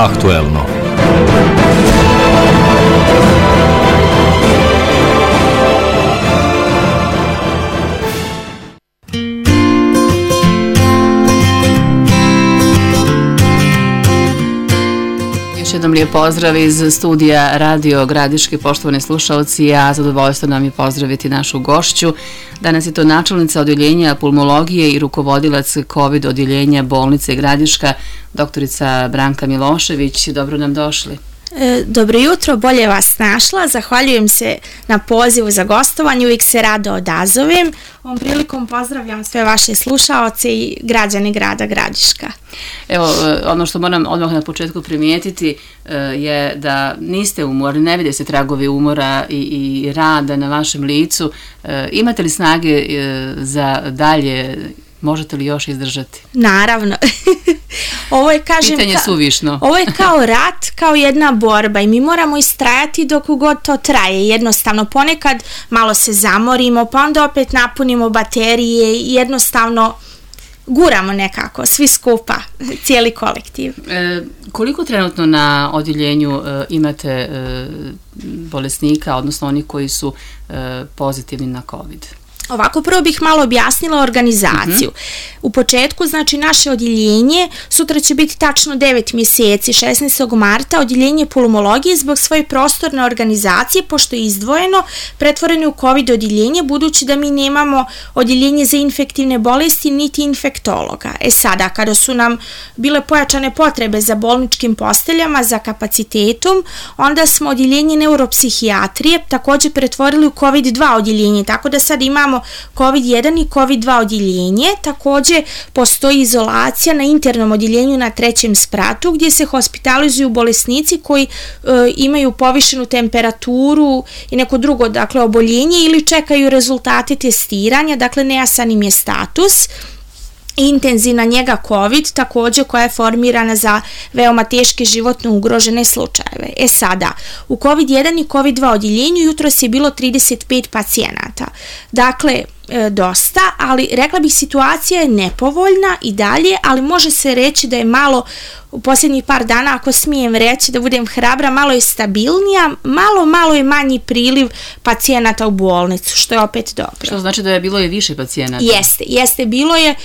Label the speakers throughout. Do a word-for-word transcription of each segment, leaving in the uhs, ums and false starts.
Speaker 1: Aktuelno.
Speaker 2: Još jednom lijep pozdrav iz studija Radio Gradiške, poštovani slušalci, a zadovoljstvo nam je pozdraviti našu gošću. Danas je to načelnica odjeljenja pulmologije i rukovodilac COVID odjeljenja bolnice Gradiška, doktorica Branka Milošević. Dobro nam došli.
Speaker 3: Dobro jutro, bolje vas našla. Zahvaljujem se na pozivu za gostovanje, uvijek se rado odazovem. Ovom prilikom pozdravljam sve vaše slušaoce i građane grada Gradiška.
Speaker 2: Evo, ono što moram odmah na početku primijetiti je da niste umorni, ne vide se tragovi umora i, i rada na vašem licu. Imate li snage za dalje? Možete li još izdržati?
Speaker 3: Naravno. Ovo je, kažem,
Speaker 2: pitanje suvišno.
Speaker 3: Ovo je kao rat, kao jedna borba i mi moramo istrajati dok god to traje. Jednostavno, ponekad malo se zamorimo, pa onda opet napunimo baterije i jednostavno guramo nekako, svi skupa, cijeli kolektiv.
Speaker 2: E, koliko trenutno na odjeljenju e, imate e, bolesnika, odnosno oni koji su e, pozitivni na COVID?
Speaker 3: Ovako, prvo bih malo objasnila organizaciju. Uh-huh. U početku, znači, naše odjeljenje, sutra će biti tačno devet mjeseci, šesnaestog marta, odjeljenje pulmologije zbog svoje prostorne organizacije, pošto je izdvojeno, pretvoreno u COVID odjeljenje, budući da mi nemamo odjeljenje za infektivne bolesti, niti infektologa. E sada, kada su nam bile pojačane potrebe za bolničkim posteljama, za kapacitetom, onda smo odjeljenje neuropsihijatrije također pretvorili u COVID dva odjeljenje, tako da sad imamo COVID jedan i COVID dva odjeljenje. Također postoji izolacija na internom odjeljenju na trećem spratu gdje se hospitalizuju bolesnici koji e, imaju povišenu temperaturu i neko drugo, dakle, oboljenje ili čekaju rezultate testiranja, dakle nejasan im je status. Intenzivna njega COVID, također koja je formirana za veoma teške životno ugrožene slučajeve. E sada, u COVID jedan i COVID dva odjeljenju jutros je bilo trideset pet pacijenata. Dakle, e, dosta, ali rekla bih situacija je nepovoljna i dalje, ali može se reći da je malo u posljednjih par dana, ako smijem reći, da budem hrabra, malo je stabilnija, malo, malo je manji priliv pacijenata u bolnicu, što je opet dobro.
Speaker 2: Što znači da je bilo i više pacijenata?
Speaker 3: Jeste, jeste, bilo je.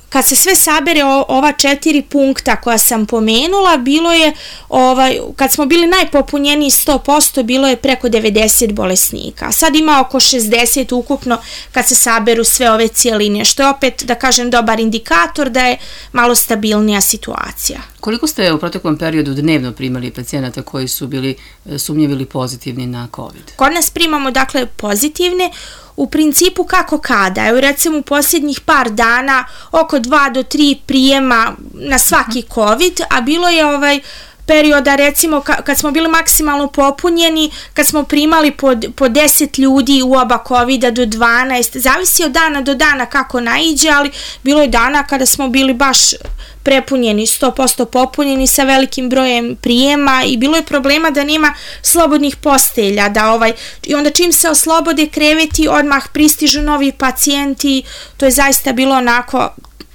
Speaker 3: Kad se sve sabere ova četiri punkta koja sam pomenula, bilo je, ovaj, kad smo bili najpopunjeniji sto posto, bilo je preko devedeset bolesnika. Sad ima oko šezdeset ukupno kad se saberu sve ove cijeline, što je opet, da kažem, dobar indikator da je malo stabilnija situacija.
Speaker 2: Koliko ste u proteklom periodu dnevno primali pacijenata koji su bili sumnjivi ili pozitivni na COVID?
Speaker 3: Kod nas primamo, dakle, pozitivne. U principu kako kada, evo recimo u posljednjih par dana oko dva do tri prijema na svaki COVID, a bilo je ovaj perioda recimo kad smo bili maksimalno popunjeni, kad smo primali po, po deset ljudi u oba covida do dvanaest, zavisi od dana do dana kako naiđe, ali bilo je dana kada smo bili baš prepunjeni, sto posto popunjeni sa velikim brojem prijema i bilo je problema da nema slobodnih postelja, da ovaj, i onda čim se oslobode kreveti odmah pristižu novi pacijenti, to je zaista bilo onako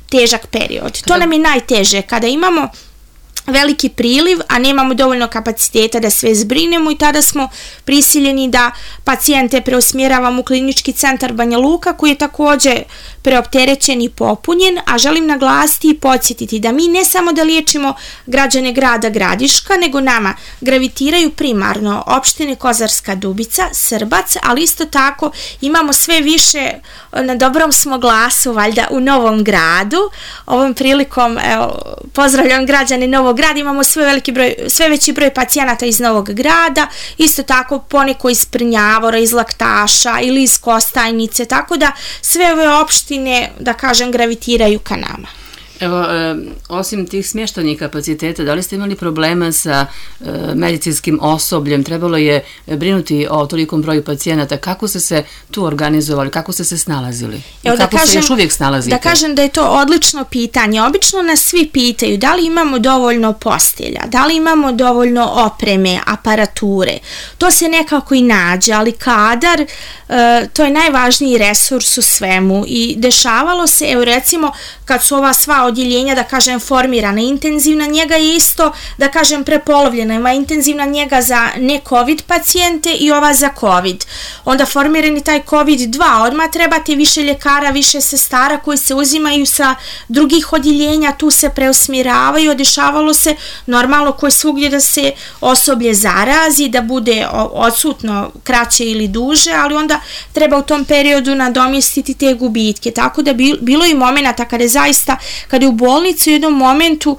Speaker 3: težak period. To nam je najteže, kada imamo veliki priliv, a nemamo dovoljno kapaciteta da sve zbrinemo i tada smo prisiljeni da pacijente preusmjeravamo u klinički centar Banja Luka koji je također preopterećen i popunjen, a želim naglasiti i podsjetiti da mi ne samo da liječimo građane grada Gradiška, nego nama gravitiraju primarno opštine Kozarska Dubica, Srbac, ali isto tako imamo sve više, na dobrom smo glasu valjda u Novom Gradu. Ovom prilikom evo, pozdravljam građane Novog Grada, imamo sve, veliki broj, sve veći broj pacijenata iz Novog Grada, isto tako poneko iz Prnjavora, iz Laktaša ili iz Kostajnice, tako da sve ove opštine, da kažem, gravitiraju ka nama.
Speaker 2: Evo, e, osim tih smještajnih kapaciteta, da li ste imali problema sa e, medicinskim osobljem? Trebalo je brinuti o tolikom broju pacijenata. Kako ste se tu organizovali? Kako ste se snalazili?
Speaker 3: Evo,
Speaker 2: kako
Speaker 3: da kažem,
Speaker 2: se još uvijek snalazite?
Speaker 3: Da kažem da je to odlično pitanje. Obično nas svi pitaju da li imamo dovoljno postelja, da li imamo dovoljno opreme, aparature. To se nekako i nađe, ali kadar, e, to je najvažniji resurs u svemu. I dešavalo se, evo recimo, kad su ova sva odjeljenja, da kažem, formirana. Intenzivna njega je isto, da kažem, prepolovljena. Ima intenzivna njega za ne-COVID pacijente i ova za COVID. Onda formirani taj COVID dva, odmah trebate više ljekara, više sestara koji se uzimaju sa drugih odjeljenja, tu se preusmjeravaju, dešavalo se normalno koji svugdje da se osoblje zarazi, da bude odsutno kraće ili duže, ali onda treba u tom periodu nadomjestiti te gubitke. Tako da bilo je momenata kada je zaista, kada je u bolnici u jednom momentu,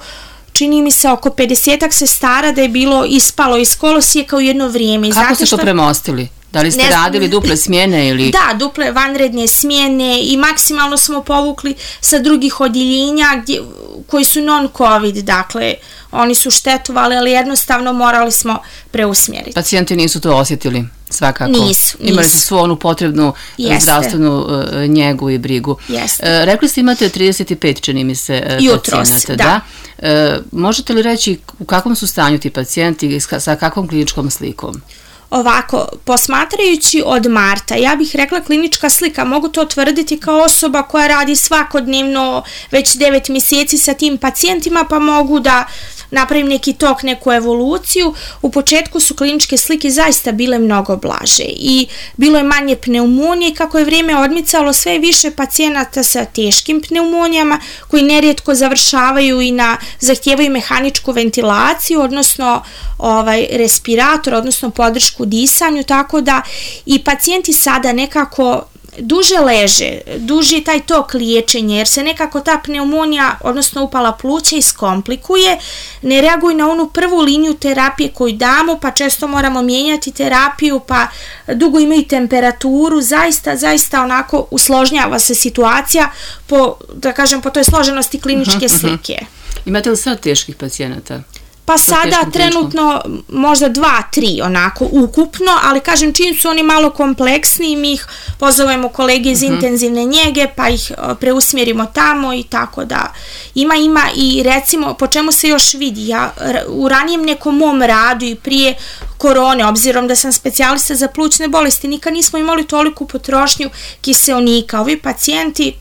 Speaker 3: čini mi se oko pedesetak sestara da je bilo ispalo iz kolosijeka u jedno vrijeme.
Speaker 2: Kako Znate ste što... to premostili? Da li ste ne, radili duple smjene ili...
Speaker 3: Da, duple vanredne smjene i maksimalno smo povukli sa drugih odjeljenja gdje, koji su non-COVID, dakle, oni su štetovali, ali jednostavno morali smo preusmjeriti.
Speaker 2: Pacijenti nisu to osjetili, svakako.
Speaker 3: Nisu, nisu.
Speaker 2: Imali su svu onu potrebnu Jeste. zdravstvenu uh, njegu i brigu.
Speaker 3: Jeste.
Speaker 2: Uh, rekli ste imate trideset pet, čini mi se, uh,
Speaker 3: Jutros,
Speaker 2: pacijenata.
Speaker 3: da.
Speaker 2: da? Uh, možete li reći u kakvom su stanju ti pacijenti i sa kakvom kliničkom slikom?
Speaker 3: Ovako, posmatrajući od marta, ja bih rekla klinička slika, mogu to tvrditi kao osoba koja radi svakodnevno već devet mjeseci sa tim pacijentima, pa mogu da napravim neki tok, neku evoluciju. U početku su kliničke slike zaista bile mnogo blaže i bilo je manje pneumonije i kako je vrijeme odmicalo sve više pacijenata sa teškim pneumonijama koji nerijetko završavaju i na zahtijevaju mehaničku ventilaciju, odnosno ovaj respirator, odnosno podršku disanju, tako da i pacijenti sada nekako duže leže, duži je taj tok liječenja jer se nekako ta pneumonija, odnosno upala pluća iskomplikuje, ne reaguju na onu prvu liniju terapije koju damo, pa često moramo mijenjati terapiju, pa dugo imaju temperaturu, zaista, zaista onako usložnjava se situacija po, da kažem, po toj složenosti kliničke slike.
Speaker 2: Imate li sad teških pacijenata?
Speaker 3: Pa sada trenutno možda dva, tri onako ukupno, ali kažem čim su oni malo kompleksniji mi ih pozovemo kolege iz uh-huh. intenzivne njege pa ih preusmjerimo tamo i tako da ima ima i recimo po čemu se još vidi, ja u ranijem nekom mom radu i prije korone, obzirom da sam specijalista za plućne bolesti, nikad nismo imali toliku potrošnju kiseonika. Ovi pacijenti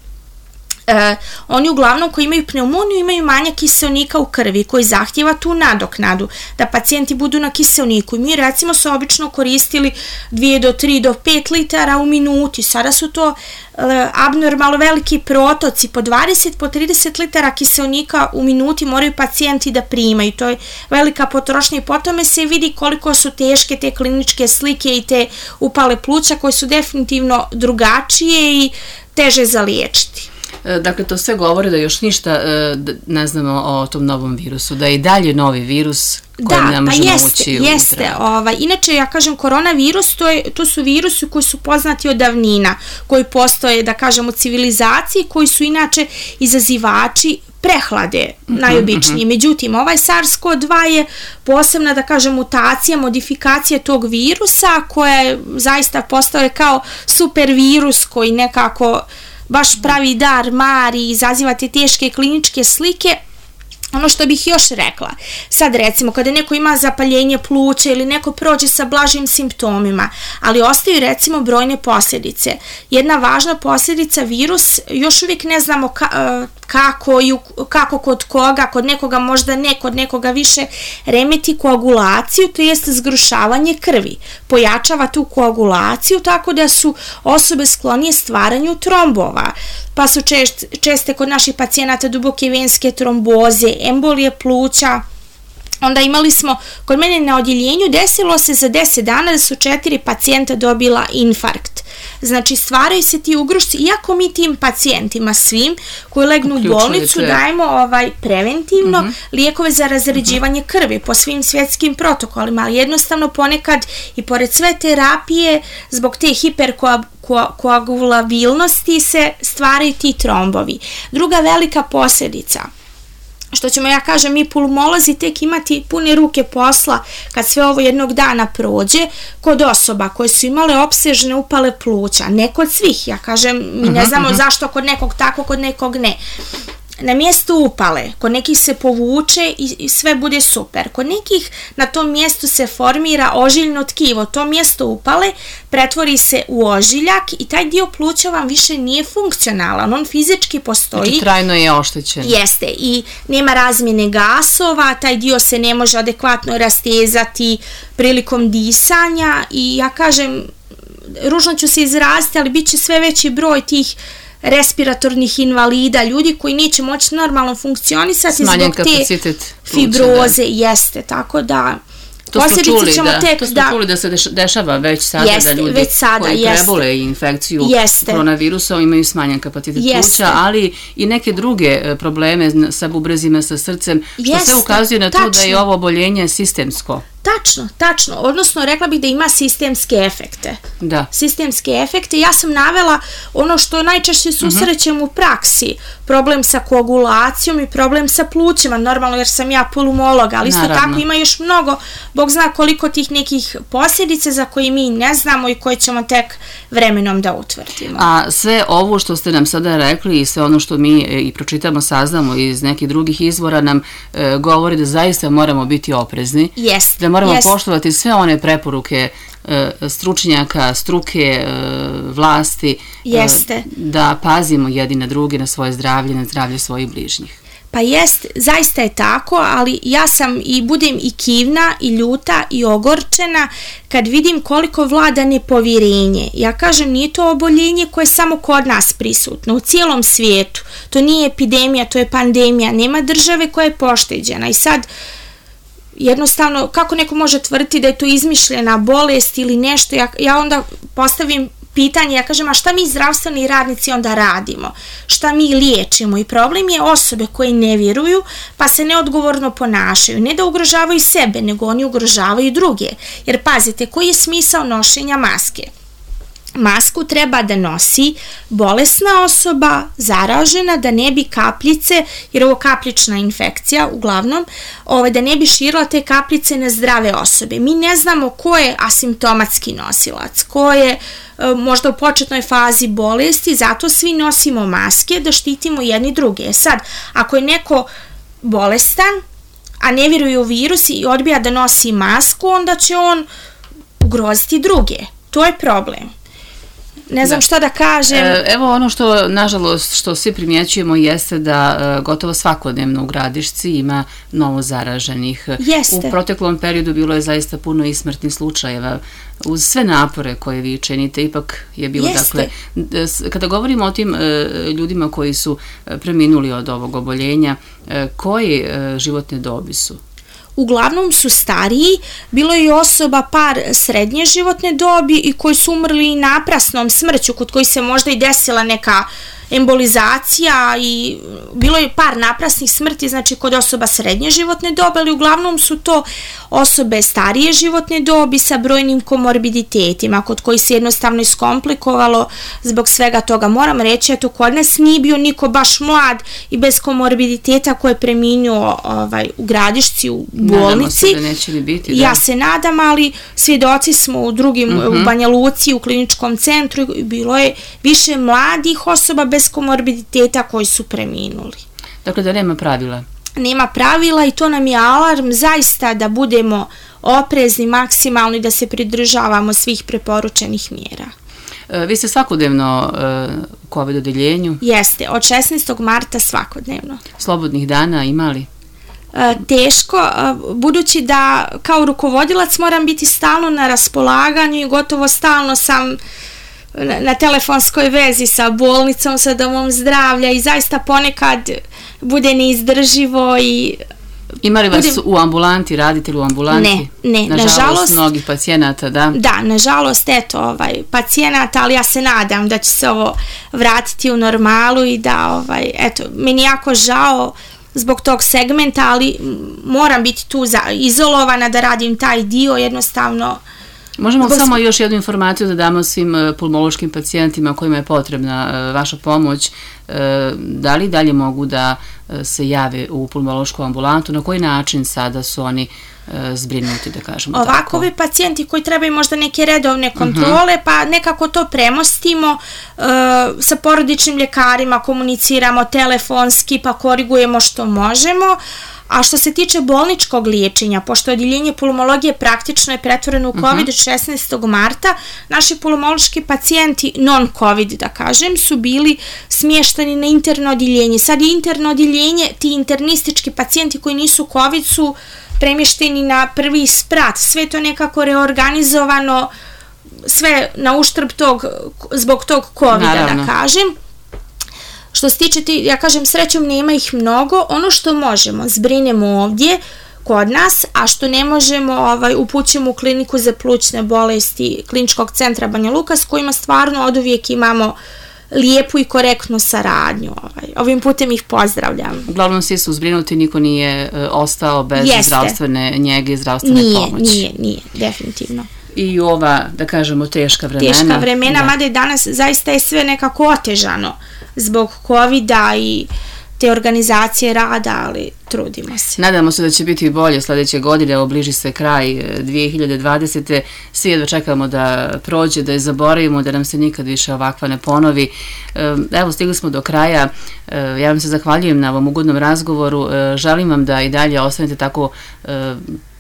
Speaker 3: Uh, oni uglavnom koji imaju pneumoniju imaju manja kiseonika u krvi koji zahtjeva tu nadoknadu da pacijenti budu na kiseoniku i mi recimo su obično koristili dvije do tri do pet litara u minuti, sada su to uh, abnormalno veliki protoci, po dvadeset po trideset litara kiseonika u minuti moraju pacijenti da primaju, to je velika potrošnja i po tome se vidi koliko su teške te kliničke slike i te upale pluća koje su definitivno drugačije i teže za liječiti.
Speaker 2: Dakle, to sve govori da još ništa ne znamo o tom novom virusu, da je i dalje novi virus koji ne možemo
Speaker 3: pa jeste,
Speaker 2: ući u
Speaker 3: jeste. Ovaj, inače, ja kažem, koronavirus, to, je, to su virusi koji su poznati od davnina, koji postoje, da kažem, u civilizaciji, koji su inače izazivači prehlade, uh-huh, najobičnije. Uh-huh. Međutim, ovaj SARS-CoV dva je posebna, da kažem, mutacija, modifikacija tog virusa, koja je zaista postao kao super virus koji nekako baš pravi dar, mari, izaziva te teške kliničke slike. Ono što bih još rekla, sad recimo kada neko ima zapaljenje pluća ili neko prođe sa blažim simptomima, ali ostaju recimo brojne posljedice. Jedna važna posljedica, virus, još uvijek ne znamo ka, kako, i kako kod koga, kod nekoga možda ne, kod nekoga više remeti koagulaciju, to jest zgrušavanje krvi. Pojačava tu koagulaciju tako da su osobe sklonije stvaranju trombova. Pa su čest, česte kod naših pacijenata duboke venske tromboze, embolije pluća. Onda imali smo, kod mene na odjeljenju desilo se za deset dana da su četiri pacijenta dobila infarkt. Znači stvaraju se ti ugrušci, iako mi tim pacijentima svim koji legnu u bolnicu dajemo ovaj preventivno uh-huh. lijekove za razređivanje uh-huh. krvi po svim svjetskim protokolima, ali jednostavno ponekad i pored sve terapije zbog te hiperkoagulabilnosti se stvaraju ti trombovi. Druga velika posljedica, što ćemo, ja kažem, mi pulmolozi tek imati pune ruke posla kad sve ovo jednog dana prođe kod osoba koje su imale opsežne upale pluća, ne kod svih, ja kažem, mi ne znamo uh-huh. zašto kod nekog tako, kod nekog ne. na mjestu upale, kod nekih se povuče i, i sve bude super. Kod nekih na tom mjestu se formira ožiljno tkivo, to mjesto upale pretvori se u ožiljak i taj dio pluća vam više nije funkcionalan, on fizički postoji.
Speaker 2: Znači trajno je oštećen.
Speaker 3: Jeste, i nema razmjene gasova, taj dio se ne može adekvatno rastezati prilikom disanja i ja kažem, ružno ću se izraziti, ali bit će sve veći broj tih respiratornih invalida, ljudi koji neće moći normalno funkcionisati
Speaker 2: smanjen
Speaker 3: zbog te fibroze, da. Jeste, tako da
Speaker 2: to smo čuli, da, tek, to smo da, čuli da se dešava već sada, jeste, da ljudi sada, koji jeste, prebole infekciju jeste, koronavirusom imaju smanjen kapacitet pluća, ali i neke druge probleme sa bubrezima, sa srcem, što jeste, sve ukazuje na to tačno, da je ovo oboljenje sistemsko.
Speaker 3: Tačno, tačno, odnosno rekla bih da ima sistemske efekte.
Speaker 2: Da.
Speaker 3: Sistemske efekte. Ja sam navela ono što najčešće susrećem uh-huh. u praksi, problem sa koagulacijom i problem sa plućima, normalno jer sam ja pulmolog, ali isto naravno, tako ima još mnogo, Bog zna koliko tih nekih posljedica za koje mi ne znamo i koje ćemo tek vremenom da utvrdimo.
Speaker 2: A sve ovo što ste nam sada rekli i sve ono što mi i pročitamo, saznamo iz nekih drugih izvora nam e, govori da zaista moramo biti oprezni.
Speaker 3: Jeste.
Speaker 2: Da moramo
Speaker 3: Jest.
Speaker 2: poštovati sve one preporuke e, stručnjaka, struke, e, vlasti, e, da pazimo jedni na drugi, na svoje zdravlje, na zdravlje svojih bližnjih.
Speaker 3: Pa jest, zaista je tako, ali ja sam i budem i kivna, i ljuta, i ogorčena kad vidim koliko vlada nepovjerenje. Ja kažem, nije to oboljenje koje je samo kod nas prisutno, u cijelom svijetu. To nije epidemija, to je pandemija, nema države koja je pošteđena i sad jednostavno, kako neko može tvrditi da je to izmišljena bolest ili nešto, ja, ja onda postavim pitanje, ja kažem, a šta mi zdravstveni radnici onda radimo? Šta mi liječimo? I problem je osobe koje ne vjeruju, pa se neodgovorno ponašaju. Ne da ugrožavaju sebe, nego oni ugrožavaju druge. Jer pazite, koji je smisao nošenja maske? Masku treba da nosi bolesna osoba, zaražena, da ne bi kapljice, jer ovo kapljična infekcija uglavnom, ovaj, da ne bi širila te kapljice na zdrave osobe. Mi ne znamo ko je asimptomatski nosilac, ko je možda u početnoj fazi bolesti, zato svi nosimo maske da štitimo jedni druge. Sad, ako je neko bolestan, a ne vjeruje u virus i odbija da nosi masku, onda će on ugroziti druge. To je problem. Ne znam da. šta da kažem.
Speaker 2: E, evo ono što, nažalost, što svi primjećujemo jeste da e, gotovo svakodnevno u Gradišci ima novo zaraženih.
Speaker 3: Jeste.
Speaker 2: U proteklom periodu bilo je zaista puno i smrtnih slučajeva. Uz sve napore koje vi činite, ipak je bilo, jeste, dakle, kada govorimo o tim e, ljudima koji su preminuli od ovog oboljenja, e, koji e, životne dobi su?
Speaker 3: Uglavnom su stariji, bilo je osoba par srednje životne dobi i koji su umrli naprasnom smrću, kod koji se možda i desila neka embolizacija i bilo je par naprasnih smrti, znači kod osoba srednje životne dobi, ali uglavnom su to osobe starije životne dobi sa brojnim komorbiditetima, kod koji se jednostavno iskomplikovalo zbog svega toga. Moram reći, eto, kod nas nije bio niko baš mlad i bez komorbiditeta koji je preminuo ovaj, u Gradišci, u bolnici.
Speaker 2: Nadamo se da neće ni biti, da.
Speaker 3: Ja se nadam, ali svjedoci smo u drugim, uh-huh. u Banja Luci, u kliničkom centru, bilo je više mladih osoba bez komorbiditeta koji su preminuli.
Speaker 2: Dakle, da nema pravila.
Speaker 3: Nema pravila i to nam je alarm zaista da budemo oprezni maksimalno i da se pridržavamo svih preporučenih mjera.
Speaker 2: E, vi ste svakodnevno e, u COVID odeljenju?
Speaker 3: Jeste, od šesnaestog marta svakodnevno.
Speaker 2: Slobodnih dana imali?
Speaker 3: E, teško, e, budući da kao rukovodilac moram biti stalno na raspolaganju i gotovo stalno sam na, na telefonskoj vezi sa bolnicom, sa domom zdravlja i zaista ponekad bude neizdrživo i...
Speaker 2: Ima li vas budem... u ambulanti, radite li u ambulanti?
Speaker 3: Ne, ne,
Speaker 2: nažalost.
Speaker 3: Nažalost,
Speaker 2: mnogih pacijenata, da?
Speaker 3: Da, nažalost, eto, ovaj, pacijenata, ali ja se nadam da će se ovo vratiti u normalu i da, ovaj, eto, meni jako žao zbog tog segmenta, ali moram biti tu za, izolovana da radim taj dio, jednostavno...
Speaker 2: Možemo Zbog... samo još jednu informaciju da damo svim pulmološkim pacijentima kojima je potrebna vaša pomoć. Da li dalje mogu da se jave u pulmološku ambulantu? Na koji način sada su oni zbrinuti, da kažemo
Speaker 3: Ovako,
Speaker 2: tako?
Speaker 3: Ovi pacijenti koji trebaju možda neke redovne kontrole, uh-huh. pa nekako to premostimo, uh, sa porodičnim ljekarima komuniciramo telefonski, pa korigujemo što možemo. A što se tiče bolničkog liječenja, pošto odjeljenje pulmologije praktično je pretvoreno u COVID uh-huh. šesnaestog marta, naši pulmološki pacijenti non-COVID, da kažem, su bili smješteni na interno odjeljenje. Sad je interno odjeljenje, ti internistički pacijenti koji nisu COVID su premješteni na prvi sprat. Sve to nekako reorganizovano, sve na uštrb tog, zbog tog COVID-a, da kažem. Što se tiče ti, ja kažem, srećom nema ih mnogo, ono što možemo zbrinemo ovdje kod nas, a što ne možemo ovaj, upućemo u kliniku za plućne bolesti Kliničkog centra Banja Luka, s kojima stvarno od uvijek imamo lijepu i korektnu saradnju. Ovaj. Ovim putem ih pozdravljam.
Speaker 2: Uglavnom svi su zbrinuti, niko nije e, ostao bez Jeste. zdravstvene njege i zdravstvene
Speaker 3: nije,
Speaker 2: pomoći.
Speaker 3: Nije, nije, definitivno.
Speaker 2: I ova, da kažemo, teška vremena.
Speaker 3: Teška vremena, da. Mada je danas zaista je sve nekako otežano zbog COVID-a i te organizacije rada, ali trudimo se.
Speaker 2: Nadamo se da će biti bolje sljedeće godine, evo bliži se kraj dvije hiljade dvadesete. Svi jedva čekamo da prođe, da je zaboravimo, da nam se nikad više ovakva ne ponovi. Evo, stigli smo do kraja. Ja vam se zahvaljujem na ovom ugodnom razgovoru. Želim vam da i dalje ostanete tako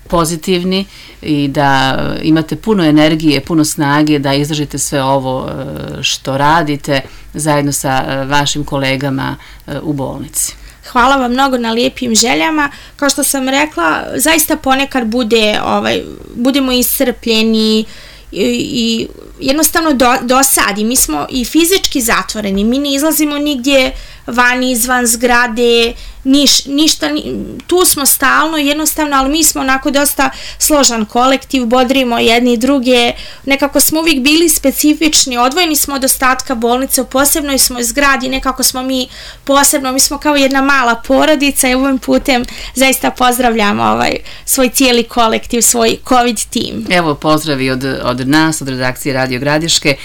Speaker 2: pozitivni i da imate puno energije, puno snage da izdržite sve ovo što radite zajedno sa vašim kolegama u bolnici.
Speaker 3: Hvala vam mnogo na lijepim željama. Kao što sam rekla, zaista ponekad bude, ovaj, budemo iscrpljeni i, i jednostavno do, dosadi. Mi smo i fizički zatvoreni, mi ne izlazimo nigdje van, izvan zgrade, niš, ništa, tu smo stalno jednostavno, ali mi smo onako dosta složan kolektiv, bodrimo jedni i druge, nekako smo uvijek bili specifični, odvojeni smo od ostatka bolnice, u posebnoj smo zgradi, nekako smo mi posebno, mi smo kao jedna mala porodica i ovim putem zaista pozdravljam ovaj svoj cijeli kolektiv, svoj COVID tim.
Speaker 2: Evo pozdravi od, od nas, od redakcije Radio Gradiške.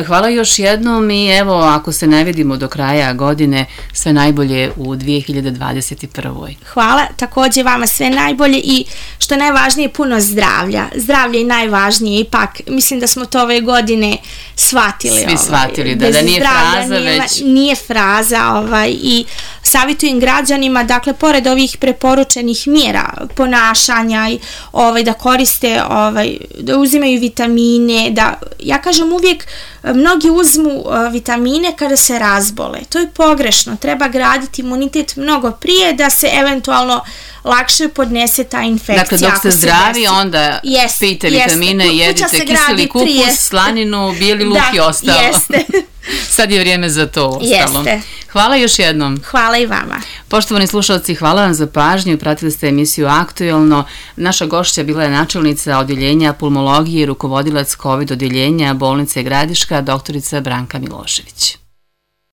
Speaker 2: Hvala još jednom i evo, ako se ne vidimo do kraja godine, sve najbolje u dvije hiljade dvadeset prve.
Speaker 3: Hvala, također vama sve najbolje i što najvažnije puno zdravlja. Zdravlje je najvažnije, ipak mislim da smo to ove godine shvatili.
Speaker 2: Svi ovaj, shvatili, da, da nije fraza
Speaker 3: nije,
Speaker 2: već.
Speaker 3: Nije fraza ovaj, i savjetujem građanima, dakle, pored ovih preporučenih mjera ponašanja i ovaj, da koriste, ovaj, da uzimaju vitamine, da, ja kažem uvijek, mnogi uzmu uh, vitamine kada se razbole. To je pogrešno. Treba graditi imunitet mnogo prije da se eventualno lakše podnese ta infekcija.
Speaker 2: Dakle, dok ste zdravi, onda yes, pijte vitamine, yes. jedite kiseli kupus, prije. Slaninu, bijeli luk da, i ostalo. Jeste. Sad je vrijeme za to ostalo. Jeste. Hvala još jednom.
Speaker 3: Hvala i vama.
Speaker 2: Poštovani slušalci, hvala vam za pažnju. Pratili ste emisiju Aktuelno. Naša gošća bila je načelnica odjeljenja pulmologije i rukovodilac COVID odjeljenja bolnice Gradiška, doktorica Branka Milošević.